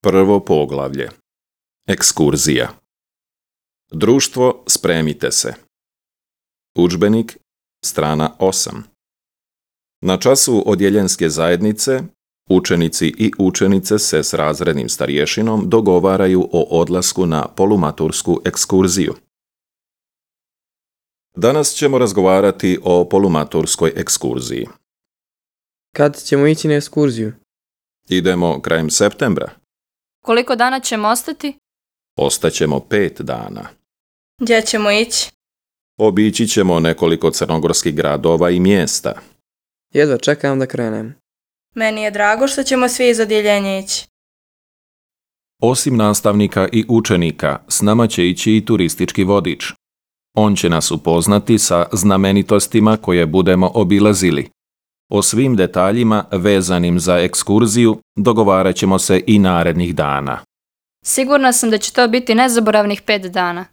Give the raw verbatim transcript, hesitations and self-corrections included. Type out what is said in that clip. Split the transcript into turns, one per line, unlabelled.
Prvo poglavlje. Ekskurzija. Društvo, spremite se. Udžbenik, strana osam. Na času odjeljenske zajednice, učenici i učenice se s razrednim starješinom dogovaraju o odlasku na polumatursku ekskurziju. Danas ćemo razgovarati o polumaturskoj ekskurziji.
Kad ćemo ići na ekskurziju?
Idemo krajem septembra.
Koliko dana ćemo ostati?
Ostaćemo pet dana.
Gdje ćemo ići?
Obići ćemo nekoliko crnogorskih gradova i mjesta.
Jedva čekam da krenem.
Meni je drago što ćemo svi iz odjeljenja ići.
Osim nastavnika i učenika, s nama će ići i turistički vodič. On će nas upoznati sa znamenitostima koje budemo obilazili. O svim detaljima vezanim za ekskurziju dogovarat ćemo se i narednih dana.
Sigurna sam da će to biti nezaboravnih pet dana.